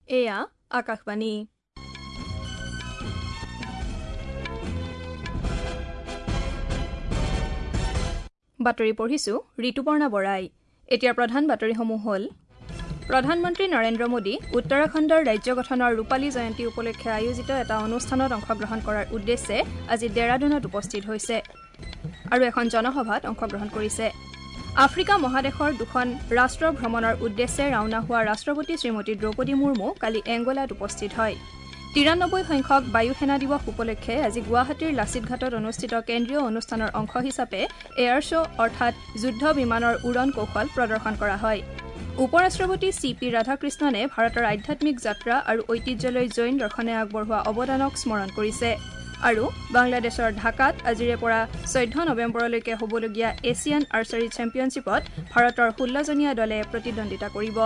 এয়া আকাশবাণী। বাতৰি পঢ়িছো ঋতুপৰ্ণা বৰাই। এতিয়া প্ৰধান বাতৰিসমূহ হ'ল: প্ৰধানমন্ত্ৰী নৰেন্দ্ৰ মোদী উত্তৰাখণ্ডৰ ৰাজ্য গঠনৰ ৰূপালী জয়ন্তী উপলক্ষে আয়োজিত এটা অনুষ্ঠানত অংশগ্ৰহণ কৰাৰ উদ্দেশ্যে আজি ডেৰাডুনত উপস্থিত হৈছে আৰু এখন জনসভাত অংশগ্ৰহণ কৰিছে। আফ্ৰিকা মহাদেশৰ দুখন ৰাষ্ট্ৰ ভ্ৰমণৰ উদ্দেশ্যে ৰাওনা হোৱা ৰাষ্ট্ৰপতি শ্ৰীমতী দ্ৰৌপদী মুৰ্মু কালি এংগোলাত উপস্থিত হয়। ৯৩ সংখ্যক বায়ু সেনা দিৱস উপলক্ষে আজি গুৱাহাটীৰ লাচিত ঘাটত অনুষ্ঠিত কেন্দ্ৰীয় অনুষ্ঠানৰ অংশ হিচাপে এয়াৰ শ্ব' অৰ্থাৎ যুদ্ধ বিমানৰ উৰণ কৌশল প্ৰদৰ্শন কৰা হয়। উপ ৰাষ্ট্ৰপতি চি পি ৰাধাকৃষ্ণনে ভাৰতৰ আধ্যাত্মিক যাত্ৰা আৰু ঐতিহ্যলৈ জৈন দৰ্শনে আগবঢ়োৱা অৱদানক স্মৰণ কৰিছে। আৰু বাংলাদেশৰ ঢাকাত আজিৰে পৰা ১৪ নৱেম্বৰলৈকে হ'বলগীয়া এছিয়ান আৰ্চাৰী চেম্পিয়নশ্বিপত ভাৰতৰ ১৬জনীয়া দলে প্ৰতিদ্বন্দ্বিতা কৰিব।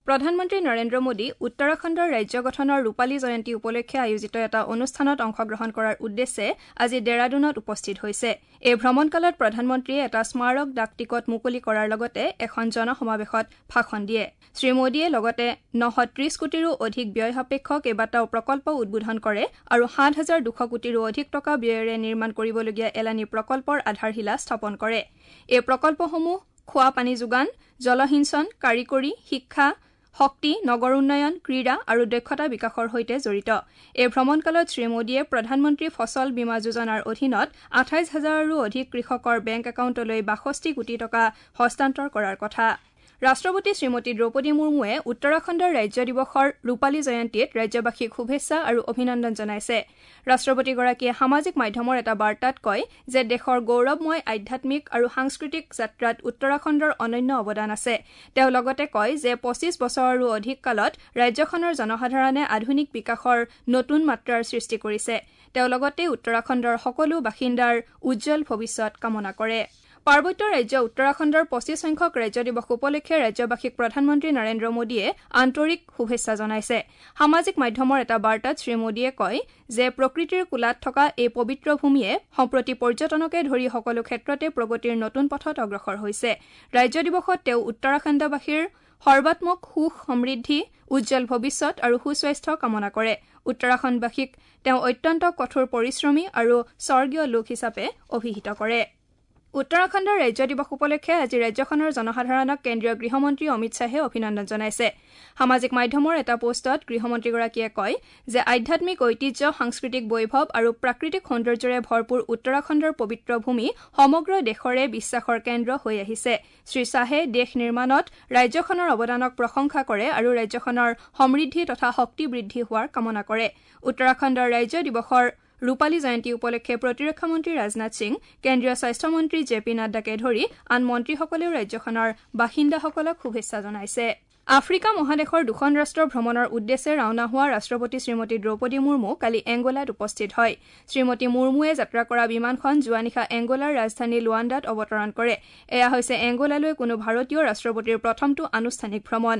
প্ৰধানমন্ত্ৰী নৰেন্দ্ৰ মোদী উত্তৰাখণ্ডৰ ৰাজ্য গঠনৰ ৰূপালী জয়ন্তী উপলক্ষে আয়োজিত এটা অনুষ্ঠানত অংশগ্ৰহণ কৰাৰ উদ্দেশ্যে আজি ডেৰাডুনত উপস্থিত হৈছে। এই ভ্ৰমণকালত প্ৰধানমন্ত্ৰীয়ে এটা স্মাৰক ডাক টিকট মুকলি কৰাৰ লগতে এখন জনসমাৱেশত ভাষণ দিয়ে। শ্ৰীমোদীয়ে লগতে ৯৩০ কোটিৰো অধিক ব্যয় সাপেক্ষ কেইবাটাও প্ৰকল্প উদ্বোধন কৰে আৰু ৭,২০০ কোটিৰো অধিক টকা ব্যয়েৰে নিৰ্মাণ কৰিবলগীয়া এলানি প্ৰকল্পৰ আধাৰশিলা স্থাপন কৰে। এই প্ৰকল্পসমূহ খোৱা পানী যোগান, জলসিঞ্চন, কাৰিকৰী শিক্ষা, শক্তি, নগৰ উন্নয়ন, ক্ৰীড়া আৰু দক্ষতা বিকাশৰ সৈতে জড়িত। এই ভ্ৰমণকালত শ্ৰীমোদীয়ে প্ৰধানমন্ত্ৰী ফচল বীমা যোজনাৰ অধীনত ২৮ হাজাৰৰো অধিক কৃষকৰ বেংক একাউণ্টলৈ ৬২ কোটি টকা হস্তান্তৰ কৰাৰ কথা। ৰাষ্ট্ৰপতি শ্ৰীমতী দ্ৰৌপদী মুৰ্মুৱে উত্তৰাখণ্ডৰ ৰাজ্য দিৱসৰ ৰূপালী জয়ন্তীত ৰাজ্যবাসীক শুভেচ্ছা আৰু অভিনন্দন জনাইছে। ৰাষ্ট্ৰপতিগৰাকীয়ে সামাজিক মাধ্যমৰ এটা বাৰ্তাত কয় যে দেশৰ গৌৰৱময় আধ্যাত্মিক আৰু সাংস্কৃতিক যাত্ৰাত উত্তৰাখণ্ডৰ অনন্য অৱদান আছে। তেওঁ লগতে কয় যে ২৫ বছৰৰো অধিক কালত ৰাজ্যখনৰ জনসাধাৰণে আধুনিক বিকাশৰ নতুন মাত্ৰাৰ সৃষ্টি কৰিছে। তেওঁ লগতে উত্তৰাখণ্ডৰ সকলো বাসিন্দাৰ উজ্জ্বল ভৱিষ্যত কামনা কৰে। পাৰ্বত্য ৰাজ্য উত্তৰাখণ্ডৰ ২৫ সংখ্যক ৰাজ্য দিৱস উপলক্ষে ৰাজ্যবাসীক প্ৰধানমন্ত্ৰী নৰেন্দ্ৰ মোদীয়ে আন্তৰিক শুভেচ্ছা জনাইছে। সামাজিক মাধ্যমৰ এটা বাৰ্তাত শ্ৰীমোদীয়ে কয় যে প্ৰকৃতিৰ কোলাত থকা এই পবিত্ৰ ভূমিয়ে সম্প্ৰতি পৰ্যটনকে ধৰি সকলো ক্ষেত্ৰতে প্ৰগতিৰ নতুন পথত অগ্ৰসৰ হৈছে। ৰাজ্য দিৱসত তেওঁ উত্তৰাখণ্ডবাসীৰ সৰ্বাত্মক সুখ, সমৃদ্ধি, উজ্জ্বল ভৱিষ্যত আৰু সুস্বাস্থ্য কামনা কৰে। উত্তৰাখণ্ডবাসীক তেওঁ অত্যন্ত কঠোৰ পৰিশ্ৰমী আৰু স্বৰ্গীয় লোক হিচাপে অভিহিত কৰে। উত্তৰাখণ্ডৰ ৰাজ্য দিৱস উপলক্ষে আজি ৰাজ্যখনৰ জনসাধাৰণক কেন্দ্ৰীয় গৃহমন্ত্ৰী অমিত শ্বাহে অভিনন্দন জনাইছে। সামাজিক মাধ্যমৰ এটা পোষ্টত গৃহমন্ত্ৰীগৰাকীয়ে কয় যে আধ্যাত্মিক ঐতিহ্য, সাংস্কৃতিক বৈভৱ আৰু প্ৰাকৃতিক সৌন্দৰ্যৰে ভৰপূৰ উত্তৰাখণ্ডৰ পবিত্ৰ ভূমি সমগ্ৰ দেশৰে বিশ্বাসৰ কেন্দ্ৰ হৈ আহিছে। শ্ৰীশ্বাহে দেশ নিৰ্মাণত ৰাজ্যখনৰ অৱদানক প্ৰশংসা কৰে আৰু ৰাজ্যখনৰ সমৃদ্ধি তথা শক্তি বৃদ্ধি হোৱাৰ কামনা কৰে। উত্তৰাখণ্ডৰ ৰাজ্য দিৱসৰ ৰূপালী জয়ন্তী উপলক্ষে প্ৰতিৰক্ষা মন্ত্ৰী ৰাজনাথ সিং, কেন্দ্ৰীয় স্বাস্থ্যমন্ত্ৰী জে পি নাড্ডাকে ধৰি আন মন্ত্ৰীসকলেও ৰাজ্যখনৰ বাসিন্দাসকলক শুভেচ্ছা জনাইছে। আফ্ৰিকা মহাদেশৰ দুখন ৰাষ্ট্ৰ ভ্ৰমণৰ উদ্দেশ্যে ৰাওনা হোৱা ৰাষ্ট্ৰপতি শ্ৰীমতী দ্ৰৌপদী মুৰ্মু কালি এংগোলাত উপস্থিত হয়। শ্ৰীমতী মুৰ্মুৱে যাত্ৰা কৰা বিমানখন যোৱা নিশা এংগোলাৰ ৰাজধানী লুৱাণ্ডাত অৱতৰণ কৰে। এয়া হৈছে এংগোলালৈ কোনো ভাৰতীয় ৰাষ্ট্ৰপতিৰ প্ৰথমটো আনুষ্ঠানিক ভ্ৰমণ।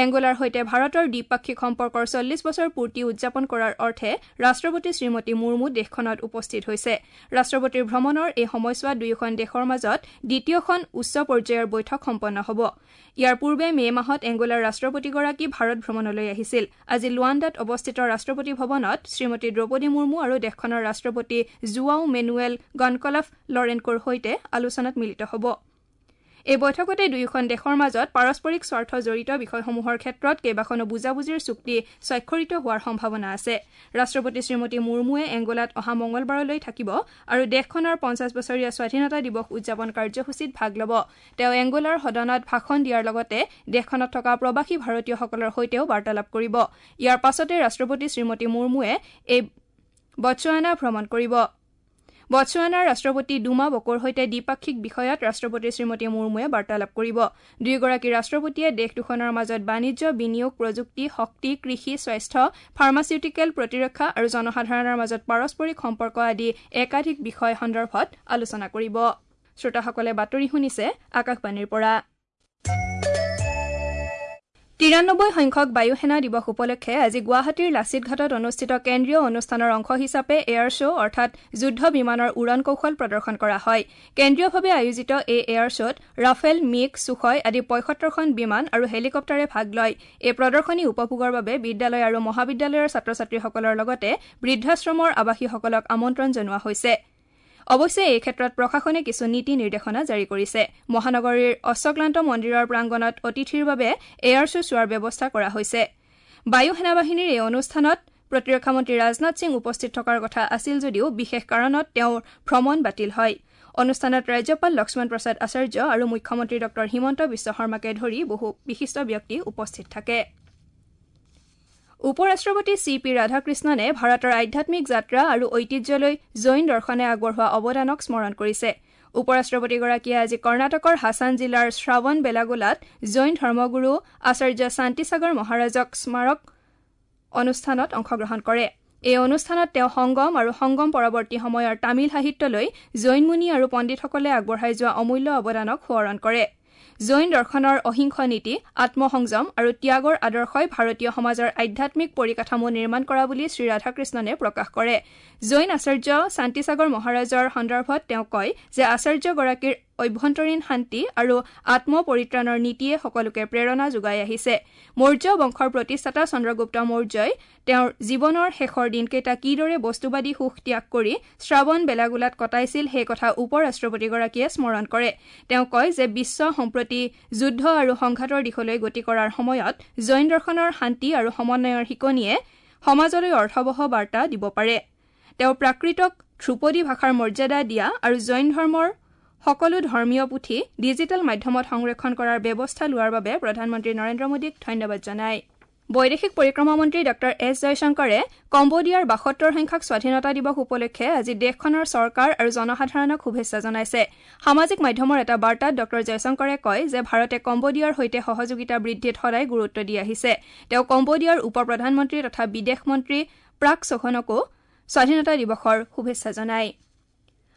এংগোলাৰ সৈতে ভাৰতৰ দ্বিপাক্ষিক সম্পৰ্কৰ ৪০ বছৰ পূৰ্তি উদযাপন কৰাৰ অৰ্থে ৰাষ্ট্ৰপতি শ্ৰীমতী মুৰ্মু দেশখনত উপস্থিত হৈছে। ৰাষ্ট্ৰপতিৰ ভ্ৰমণৰ এই সময়ছোৱাত দুয়োখন দেশৰ মাজত দ্বিতীয়খন উচ্চ পৰ্যায়ৰ বৈঠক সম্পন্ন হ'ব। ইয়াৰ পূৰ্বে মে' মাহত এংগোলাৰ ৰাষ্ট্ৰপতিগৰাকী ভাৰত ভ্ৰমণলৈ আহিছিল। আজি লুৱাণ্ডাত অৱস্থিত ৰাষ্ট্ৰপতি ভৱনত শ্ৰীমতী দ্ৰৌপদী মুৰ্মু আৰু দেশখনৰ ৰাষ্ট্ৰপতি জুৱাও মেনুৱেল গনকলাফ লৰেনকোৰ সৈতে আলোচনাত মিলিত হ'ব। এই বৈঠকতে দুয়োখন দেশৰ মাজত পাৰস্পৰিক স্বাৰ্থ জড়িত বিষয়সমূহৰ ক্ষেত্ৰত কেইবাখনো বুজাবুজিৰ চুক্তি স্বাক্ষৰিত হোৱাৰ সম্ভাৱনা আছে। ৰাষ্ট্ৰপতি শ্ৰীমতী মুৰ্মুৱে এংগোলাত অহা মঙলবাৰলৈ থাকিব আৰু দেশখনৰ ৫০ বছৰীয়া স্বাধীনতা দিৱস উদযাপন কাৰ্যসূচীত ভাগ ল'ব। তেওঁ এংগোলাৰ সদনত ভাষণ দিয়াৰ লগতে দেশখনত থকা প্ৰৱাসী ভাৰতীয়সকলৰ সৈতেও বাৰ্তালাপ কৰিব। ইয়াৰ পাছতে ৰাষ্ট্ৰপতি শ্ৰীমতী মুৰ্মুৱে এই বটছৱানা ভ্ৰমণ কৰিব। বটছৱানাৰ ৰাষ্ট্ৰপতি ডুমা বকোৰ সৈতে দ্বিপাক্ষিক বিষয়ত ৰাষ্ট্ৰপতি শ্ৰীমতী মুৰ্মুৱে বাৰ্তালাপ কৰিব। দুয়োগৰাকী ৰাষ্ট্ৰপতিয়ে দেশ দুখনৰ মাজত বাণিজ্য, বিনিয়োগ, প্ৰযুক্তি, শক্তি, কৃষি, স্বাস্থ্য, ফাৰ্মাচিউটিকেল, প্ৰতিৰক্ষা আৰু জনসাধাৰণৰ মাজত পাৰস্পৰিক সম্পৰ্ক আদি একাধিক বিষয় সন্দৰ্ভত আলোচনা কৰিব। শ্ৰোতাসকলে বাতৰি শুনিছে আকাশবাণীৰ পৰা। ৯৩ সংখ্যক বায়ু সেনা দিৱস উপলক্ষে আজি গুৱাহাটীৰ লাচিত ঘাটত অনুষ্ঠিত কেন্দ্ৰীয় অনুষ্ঠানৰ অংশ হিচাপে এয়াৰ শ্ব' অৰ্থাৎ যুদ্ধ বিমানৰ উৰণ কৌশল প্ৰদৰ্শন কৰা হয়। কেন্দ্ৰীয়ভাৱে আয়োজিত এই এয়াৰ শ্ব'ত ৰাফেল, মিগ, ছুখয় আদি ৭৫খন বিমান আৰু হেলিকপ্টাৰে ভাগ লয়। এই প্ৰদৰ্শনী উপভোগৰ বাবে বিদ্যালয় আৰু মহাবিদ্যালয়ৰ ছাত্ৰ ছাত্ৰীসকলৰ লগতে বৃদ্ধাশ্ৰমৰ আৱাসীসকলক আমন্ত্ৰণ জনোৱা হৈছে। অৱশ্যে এই ক্ষেত্ৰত প্ৰশাসনে কিছু নীতি নিৰ্দেশনা জাৰি কৰিছে। মহানগৰীৰ অশ্বক্লান্ত মন্দিৰৰ প্ৰাংগণত অতিথিৰ বাবে এয়াৰ শ্ব' চোৱাৰ ব্যৱস্থা কৰা হৈছে। বায়ু সেনাবাহিনীৰ এই অনুষ্ঠানত প্ৰতিৰক্ষা মন্ত্ৰী ৰাজনাথ সিং উপস্থিত থকাৰ কথা আছিল যদিও বিশেষ কাৰণত তেওঁৰ ভ্ৰমণ বাতিল হয়। অনুষ্ঠানত ৰাজ্যপাল লক্ষ্মণ প্ৰসাদ আচাৰ্য আৰু মুখ্যমন্ত্ৰী ডঃ হিমন্ত বিশ্ব শৰ্মাকে ধৰি বহু বিশিষ্ট ব্যক্তি উপস্থিত থাকে। উপ ৰাষ্ট্ৰপতি চি পি ৰাধাকৃষ্ণনে ভাৰতৰ আধ্যাত্মিক যাত্ৰা আৰু ঐতিহ্যলৈ জৈন দৰ্শনে আগবঢ়োৱা অৱদানক স্মৰণ কৰিছে। উপ ৰাষ্ট্ৰপতিগৰাকীয়ে আজি কৰ্ণাটকৰ হাছান জিলাৰ শ্ৰাৱণ বেলাগোলাত জৈন ধৰ্মগুৰু আচাৰ্য শান্তিসাগৰ মহাৰাজক স্মাৰক অনুষ্ঠানত অংশগ্ৰহণ কৰে। এই অনুষ্ঠানত তেওঁ সংগম আৰু সংগম পৰৱৰ্তী সময়ৰ তামিল সাহিত্যলৈ জৈন মুনি আৰু পণ্ডিতসকলে আগবঢ়াই যোৱা অমূল্য অৱদানক সোঁৱৰণ কৰে। জৈন দৰ্শনৰ অহিংস নীতি, আত্মসংযম আৰু ত্যাগৰ আদৰ্শই ভাৰতীয় সমাজৰ আধ্যাত্মিক পৰিকাঠামো নিৰ্মাণ কৰা বুলি শ্ৰীৰাধাকৃষ্ণনে প্ৰকাশ কৰে। জৈন আচাৰ্য শান্তিসাগৰ মহাৰাজৰ সন্দৰ্ভত তেওঁ কয় যে আচাৰ্যগৰাকীৰ অভ্যন্তৰীণ শান্তি আৰু আত্মপৰিত্ৰাণৰ নীতিয়ে সকলোকে প্ৰেৰণা যোগাই আহিছে। মৌৰ্য বংশৰ প্ৰতিষ্ঠাতা চন্দ্ৰগুপ্ত মৌৰ্যই তেওঁৰ জীৱনৰ শেষৰ দিনকেইটা কিদৰে বস্তুবাদী সুখ ত্যাগ কৰি শ্ৰাৱণ বেলাগোলাত কটাইছিল সেই কথা উপ ৰাষ্ট্ৰপতিগৰাকীয়ে স্মৰণ কৰে। তেওঁ কয় যে বিশ্ব সম্প্ৰতি যুদ্ধ আৰু সংঘাতৰ দিশলৈ গতি কৰাৰ সময়ত জৈন দৰ্শনৰ শান্তি আৰু সমন্বয়ৰ শিকনিয়ে সমাজলৈ অৰ্থৱহ বাৰ্তা দিব পাৰে। তেওঁ প্ৰাকৃতক ধ্ৰুপদী ভাষাৰ মৰ্যাদা দিয়া আৰু জৈন ধৰ্মৰ সকলো ধৰ্মীয় পুথি ডিজিটেল মাধ্যমত সংৰক্ষণ কৰাৰ ব্যৱস্থা লোৱাৰ বাবে প্ৰধানমন্ত্ৰী নৰেন্দ্ৰ মোদীক ধন্যবাদ জনায়। বৈদেশিক পৰিক্ৰমা মন্ত্ৰী ডঃ এছ জয়শংকৰে কম্বোডিয়াৰ ৭২ সংখ্যক স্বাধীনতা দিৱস উপলক্ষে আজি দেশখনৰ চৰকাৰ আৰু জনসাধাৰণক শুভেচ্ছা জনাইছে। সামাজিক মাধ্যমৰ এটা বাৰ্তাত ডঃ জয়শংকৰে কয় যে ভাৰতে কম্বোডিয়াৰ সৈতে সহযোগিতা বৃদ্ধিত সদায় গুৰুত্ব দি আহিছে। তেওঁ কম্বোডিয়াৰ উপ প্ৰধানমন্ত্ৰী তথা বিদেশ মন্ত্ৰী প্ৰাক সোখনকো স্বাধীনতা দিৱসৰ শুভেচ্ছা জনায়।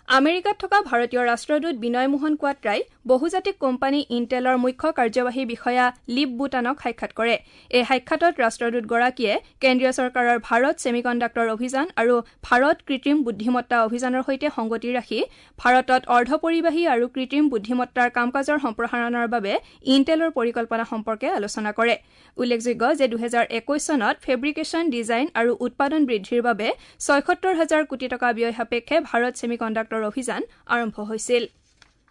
আমেৰিকাত থকা ভাৰতীয় ৰাষ্ট্ৰদূত বিনয় মোহন কোৱাট্ৰাই বহুজাতিক কোম্পানী ইণ্টেলৰ মুখ্য কাৰ্যবাহী বিষয়া লিপ বুটানক সাক্ষাৎ কৰে। এই সাক্ষাতত ৰাষ্ট্ৰদূতগৰাকীয়ে কেন্দ্ৰীয় চৰকাৰৰ ভাৰত ছেমিকণ্ডাক্টৰ অভিযান আৰু ভাৰত কৃত্ৰিম বুদ্ধিমত্তা অভিযানৰ সৈতে সংগতি ৰাখি ভাৰতত অৰ্ধপৰিবাহী আৰু কৃত্ৰিম বুদ্ধিমত্তাৰ কাম কাজৰ সম্প্ৰসাৰণৰ বাবে ইণ্টেলৰ পৰিকল্পনা সম্পৰ্কে আলোচনা কৰে। উল্লেখযোগ্য যে ২০২১ চনত ফেব্ৰিকেশ্যন, ডিজাইন আৰু উৎপাদন বৃদ্ধিৰ বাবে ৭৬ হাজাৰ কোটি টকা ব্যয় সাপেক্ষে ভাৰত ছেমিকণ্ডাক্টৰ অভিযান আৰম্ভ হৈছিল।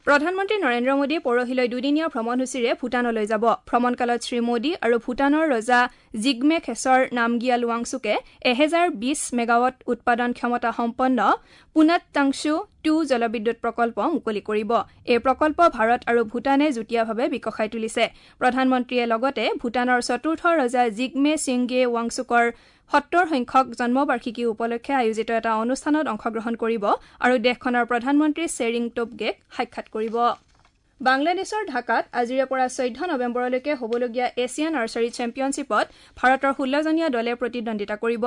প্ৰধানমন্ত্ৰী নৰেন্দ্ৰ মোদী পৰহিলৈ দুদিনীয়া ভ্ৰমণসূচীৰে ভূটানলৈ যাব। ভ্ৰমণকালত শ্ৰীমোদী আৰু ভূটানৰ ৰজা জিগমে খেছৰ নামগিয়াল ৱাংচুকে ১০২০ মেগাৱাট উৎপাদন ক্ষমতা সম্পন্ন পুনাত টাংছু ২ জলবিদ্যুৎ প্ৰকল্প মুকলি কৰিব। এই প্ৰকল্প ভাৰত আৰু ভূটানে যুটীয়াভাৱে বিকশাই তুলিছে। প্ৰধানমন্ত্ৰীয়ে লগতে ভূটানৰ চতুৰ্থ ৰজা জিগমে ছিংগে ৱাংচুকৰ ৭০ সংখ্যক জন্মবাৰ্ষিকী উপলক্ষে আয়োজিত এটা অনুষ্ঠানত অংশগ্ৰহণ কৰিব আৰু দেশখনৰ প্ৰধানমন্ত্ৰী শ্বেৰিং টোবগেক সাক্ষাৎ কৰিব। বাংলাদেশৰ ঢাকাত আজিৰে পৰা ১৪ নৱেম্বৰলৈকে হ'বলগীয়া এছিয়ান আৰ্চাৰী চেম্পিয়নশ্বিপত ভাৰতৰ ১৬জনীয়া দলে প্ৰতিদ্বন্দ্বিতা কৰিব।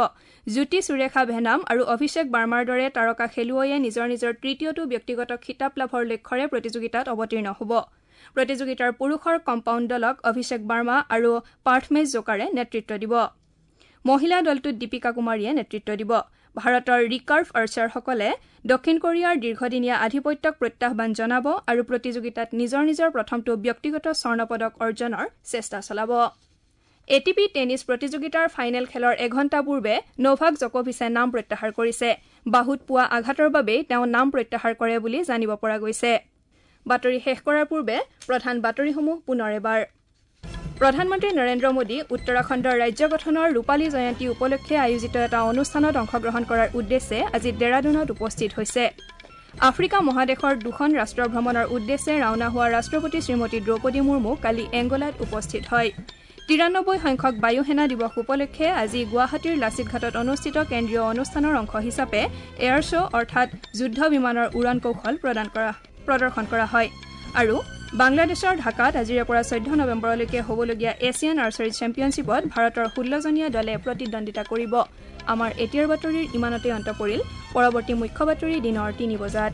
জ্যোতি সুৰেখা ভেনাম আৰু অভিষেক বাৰ্মাৰ দৰে তাৰকা খেলুৱৈয়ে নিজৰ নিজৰ তৃতীয়টো ব্যক্তিগত খিতাপ লাভৰ লক্ষ্যৰে প্ৰতিযোগিতাত অৱতীৰ্ণ হ'ব। প্ৰতিযোগিতাৰ পুৰুষৰ কম্পাউণ্ড দলক অভিষেক বাৰ্মা আৰু পাৰ্থমেশ জোকাৰে নেতৃত্ব দিব। মহিলা দলটোত দীপিকা কুমাৰীয়ে নেতৃত্ব দিব। ভাৰতৰ ৰিকাৰ্ভ আৰ্চাৰসকলে দক্ষিণ কোৰিয়াৰ দীৰ্ঘদিনীয়া আধিপত্যক প্ৰত্যাহ্বান জনাব আৰু প্ৰতিযোগিতাত নিজৰ নিজৰ প্ৰথমটো ব্যক্তিগত স্বৰ্ণ পদক অৰ্জনৰ চেষ্টা চলাব। এ টি পি টেনিছ প্ৰতিযোগিতাৰ ফাইনেল খেলৰ এঘণ্টা পূৰ্বে নভাক জকোভিচে নাম প্ৰত্যাহাৰ কৰিছে। বাহুত পোৱা আঘাতৰ বাবেই তেওঁ নাম প্ৰত্যাহাৰ কৰে বুলি জানিব পৰা গৈছে। বাতৰি শেষ কৰাৰ পূৰ্বে প্ৰধান বাতৰিসমূহ পুনৰ এবাৰ। প্ৰধানমন্ত্ৰী নৰেন্দ্ৰ মোদী উত্তৰাখণ্ডৰ ৰাজ্য গঠনৰ ৰূপালী জয়ন্তী উপলক্ষে আয়োজিত এটা অনুষ্ঠানত অংশগ্ৰহণ কৰাৰ উদ্দেশ্যে আজি ডেৰাডুনত উপস্থিত হৈছে। আফ্ৰিকা মহাদেশৰ দুখন ৰাষ্ট্ৰ ভ্ৰমণৰ উদ্দেশ্যে ৰাওনা হোৱা ৰাষ্ট্ৰপতি শ্ৰীমতী দ্ৰৌপদী মুৰ্মু কালি এংগোলাত উপস্থিত হয়। ৯৩ সংখ্যক বায়ু সেনা দিৱস উপলক্ষে আজি গুৱাহাটীৰ লাচিত ঘাটত অনুষ্ঠিত কেন্দ্ৰীয় অনুষ্ঠানৰ অংশ হিচাপে এয়াৰ শ্ব' অৰ্থাৎ যুদ্ধ বিমানৰ উৰণ কৌশল প্ৰদৰ্শন কৰা হয়। আৰু বাংলাদেশৰ ঢাকাত আজিৰে পৰা ১৪ নৱেম্বৰলৈকে হ'বলগীয়া এছিয়ান আৰ্চাৰী চেম্পিয়নশ্বিপত ভাৰতৰ ১৬জনীয়া দলে প্ৰতিদ্বন্দ্বিতা কৰিব। আমাৰ এতিয়াৰ বাতৰিৰ ইমানতে অন্ত পৰিল। পৰৱৰ্তী মুখ্য বাতৰি দিনৰ ৩ বজাত।